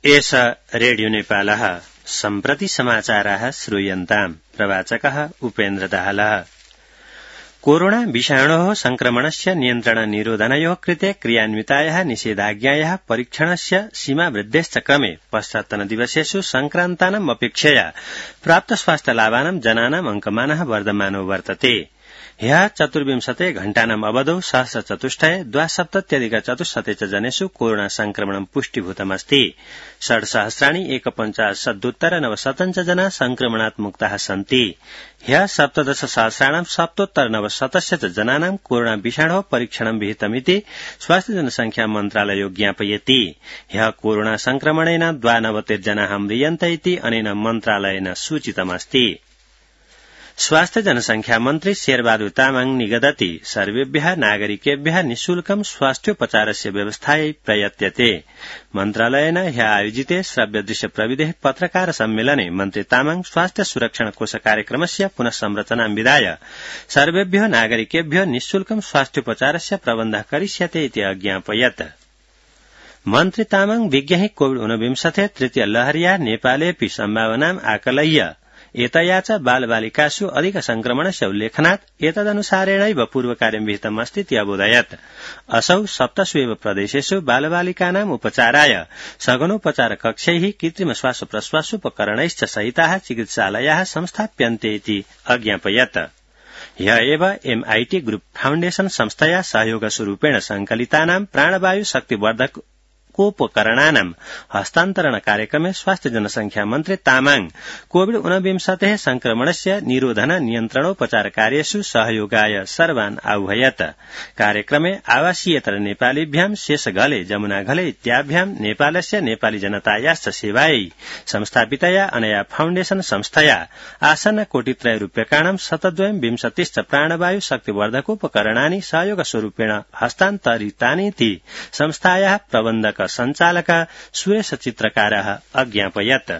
एष रेडियो नेपालः सम्प्रति समाचाराः श्रूयन्ताम्। प्रवाचकः उपेन्द्र दाहालः। कोरोना विषाणोः संक्रमणस्य नियन्त्रण निरोधनयोः कृते क्रियान्वितायाः निषेधाज्ञायाः परीक्षणस्य सीमावृद्धेश्च क्रमे पश्चात्तनदिवसेषु संक्रान्तानाम् अपेक्षया प्राप्त स्वास्थ्यलाभानां जनानाम् अङ्कमानः वर्धमानो वर्तते। ह्यः 24 घण्टानाम् अवधौ 174,270 च जनेषु कोरोना संक्रमणं पुष्टिभूतमस्ति। 6,150,900 च जना संक्रमणात् मुक्ताः सन्ति। ह्यः 17,700,900 च जनानां कोरोना विषाणोः परीक्षणं विहितमिति स्वास्थ्य जनसंख्या मन्त्रालयो ज्ञापयति। ह्यः कोरोना संक्रमणेन 92 जनाः म्रियन्त इति अनेन मन्त्रालयेन सूचितमस्ति। स्वास्थ्य जनसंख्या मन्त्री शेरबहादुर तामाङ निगदति सर्वेभ्यः नागरिकेभ्यः निःशुल्कं स्वास्थ्योपचारस्य व्यवस्थायै प्रयत्यते। मन्त्रालयेन ह्यः आयोजिते श्रव्यदृश्य प्रविधेः पत्रकार सम्मेलने मन्त्री तामाङ स्वास्थ्य सुरक्षण कोष कार्यक्रमस्य पुनः संरचनां विधाय सर्वेभ्यः नागरिकेभ्यः निःशुल्कं स्वास्थ्योपचारस्य प्रबन्धः करिष्यते इति अज्ञापयत्। मन्त्री तामाङ विज्ञहि कोविड-19 तृतीय लहर्या नेपालेऽपि सम्भावनाम् आकलय्य एतया च बालबालिकासु अधिक संक्रमणस्य उल्लेखनात् एतदनुसारेणैव पूर्वकार्यं विहितमस्तीति अबोधयत्। असौ 7 एव प्रदेशेषु बालबालिकानाम् उपचाराय सघनोपचार कक्षैः कृत्रिम श्वासप्रश्वासोपकरणैश्च सहिताः चिकित्सालयाः संस्थाप्यन्ते इति अज्ञापयत्। ह्यः एव MIT ग्रुप फाउण्डेशन संस्थया सहयोगस्वरूपेण संकलितानां प्राणवायु शक्तिवर्धकोपकरणानां हस्तान्तरण कार्यक्रमे स्वास्थ्य जनसंख्या मन्त्री तामाङ कोविड-19 संक्रमणस्य निरोधन नियन्त्रणोपचार कार्येषु सहयोगाय सर्वान् आह्वयत्। कार्यक्रमे आवासीयतर नेपालीभ्यां शेषघले जमुनाघले इत्याभ्यां नेपालस्य नेपाली जनतायाश्च सेवायै संस्थापितया अनया फाउण्डेशन संस्थया आसन्न कोटित्रय रूप्यकाणां 720 प्राणवायु शक्तिवर्धकोपकरणानि सहयोगस्वरूपेण हस्तान्तरितानीति संस्थायाः प्रबन्धक संचालक सुरेश चित्रकारः अज्ञापयत्।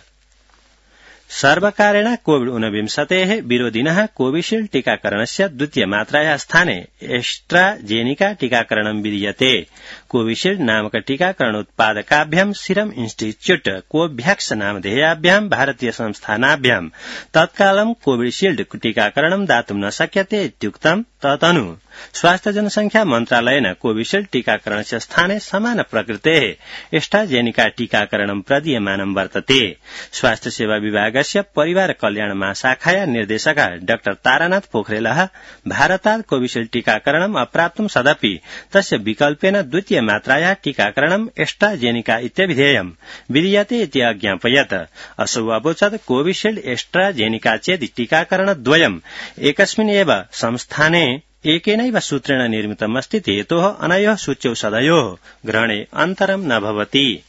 सर्वकारेण कोविड-19 विरोधिनः कोविशील्ड टीकाकरणस्य द्वितीय मात्रायाः स्थाने एस्ट्राजेनिका टीकाकरणं विधीयते। कोविशील्ड नामक टीकाकरणोत्पादकाभ्यां सीरम इन्स्टिट्यूट कोवैक्स नामधेयाभ्यां भारतीय संस्थानाभ्यां तत्कालं कोविशील्ड टीकाकरणं दातुं न शक्यते इत्युक्तं। तदनु स्वास्थ्य जनसंख्या मन्त्रालयेन कोविशील्ड टीकाकरणस्य स्थाने समान प्रकृतेः एस्ट्राजेनिका टीकाकरणं प्रदीयमानं वर्तते। स्वास्थ्य सेवा विभागस्य परिवार कल्याण महाशाखाया निर्देशकः डाक्टर तारानाथ पोखरेलः भारतात् कोविशील्ड टीकाकरणम् अप्राप्तं सदपि तस्य विकल्पेन द्वितीय मात्रायाः टीकाकरणम् एस्ट्राजेनिका इत्यभिधेयं विधीयते इति अज्ञापयत्। असौ अवोचत् कोविशील्ड एस्ट्राजेनिका चेति टीकाकरणद्वयम् एकस्मिन् एव संस्थाने एकेनैव सूत्रेण निर्मितमस्ति। हेतोः अनयोः सूच्यौषधयोः ग्रहणे अन्तरं न भवति।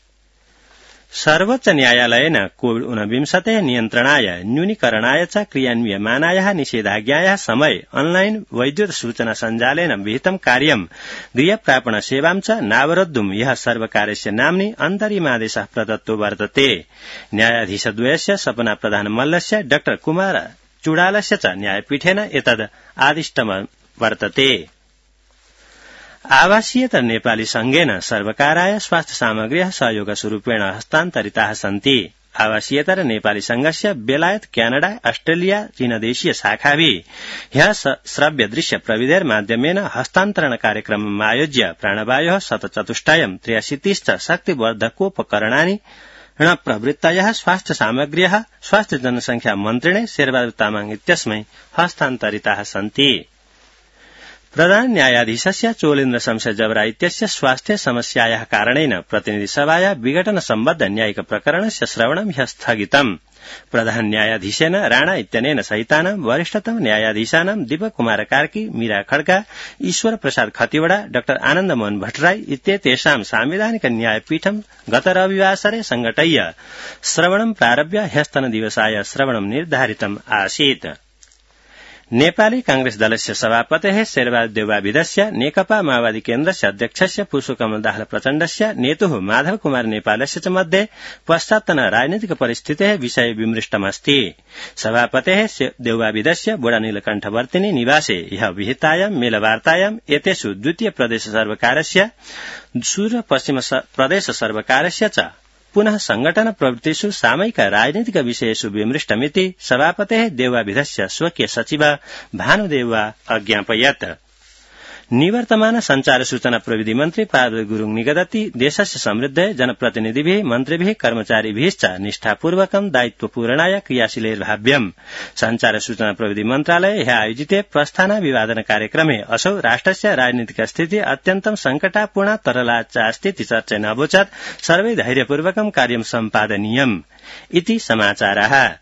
सर्वोच्च न्यायालयेन कोविड-19 नियन्त्रणाय न्यूनीकरणाय च क्रियान्वियमानायाः निषेधाज्ञायाः समय ऑनलाइन वैद्युत सूचना सञ्जालेन विहितं कार्यं गृहप्रापण सेवां च नावरोद्धुं यः सर्वकारस्य नाम्नि अन्तरिमादेशः प्रदत्तो वर्तते। न्यायाधीशद्वयस्य सपना प्रधान मल्लस्य डाक्टर कुमार चुडालस्य च न्यायपीठेन एतद् आदिष्टं वर्तते। आवासीयतर नेपाली संघेन सर्वकाराय स्वास्थ्य सामग्र्यः सहयोगस्वरूपेण हस्तान्तरिताः सन्ति। आवासीयतर नेपाली संघस्य बेलायत क्यानाडा अस्ट्रेलिया चीनदेशीय शाखाभिः ह्यः श्रव्यदृश्य प्रविधेर्माध्यमेन हस्तान्तरण कार्यक्रमम् आयोज्य प्राणवायोः 174,83 च शक्तिवर्धकोपकरणानि प्रवृत्तयः स्वास्थ्य सामग्र्यः स्वास्थ्य जनसंख्या मन्त्रिणे शेरबहादुर तामाङ इत्यस्मै हस्तान्तरिताः सन्ति। प्रधान न्यायाधीशस्य चोलेन्द्र शमशेर जबरा इत्यस्य स्वास्थ्य समस्यायाः कारणेन प्रतिनिधिसभाया विघटन सम्बद्ध न्यायिक प्रकरणस्य श्रवणं ह्यः स्थगितम्। प्रधान न्यायाधीशेन राणा इत्यनेन सहितानां वरिष्ठतम न्यायाधीशानां दीपक कुमार कार्की, मीरा खड्का, ईश्वर प्रसाद खतिवड़ा, डाक्टर आनन्द मोहन भट्टराई इत्येतेषां सांविधानिक न्यायपीठं गत रविवासरे संघटय्य श्रवणं प्रारभ्य ह्यस्तनदिवसाय श्रवणं निर्धारितम् आसीत्। नेपाली कांग्रेस दलस्य सभापतेः शेरबहादुर देउवाविदस्य नेकपा माओवादी केन्द्रस्य अध्यक्षस्य पुष्पकमल दाहाल प्रचण्डस्य नेतुः माधव कुमार नेपालस्य च मध्ये पश्चात्तन राजनीतिक परिस्थितेः विषये विमृष्टमस्ति। सभापतेः देउवाविदस्य बोडा नीलकण्ठवर्तिनी निवासे ह्यः विहितायां मेलवार्तायाम् एतेषु द्वितीय प्रदेश सर्वकारस्य सूर्य पश्चिम प्रदेश सर्वकारस्य च पुनः संगठन प्रवृत्तिषु सामयिक राजनीतिक विषयेषु विमृष्टमिति सभापतेः देववाभिधस्य स्वकीय सचिव भानुदेवा अज्ञापयत्। निवर्तमान संचार सूचना प्रविधि मन्त्री पार्वती गुरूङ निगदति देशस्य समृद्धये जनप्रतिनिधिभिः मन्त्रिभिः कर्मचारिभिश्च निष्ठापूर्वकं दायित्वपूर्णाय क्रियाशीलैर्भाव्यम्। संचार सूचना प्रविधि मन्त्रालय ह्य आयोजिते प्रस्थानाभिवादन कार्यक्रमे असौ राष्ट्रस्य राजनीतिक स्थिति अत्यन्तं संकटापूर्णा तरला च स्थिति चर्चेन अवोचत् सर्वै धैर्यपूर्वकं कार्यं सम्पादनीयम् इति समाचारः।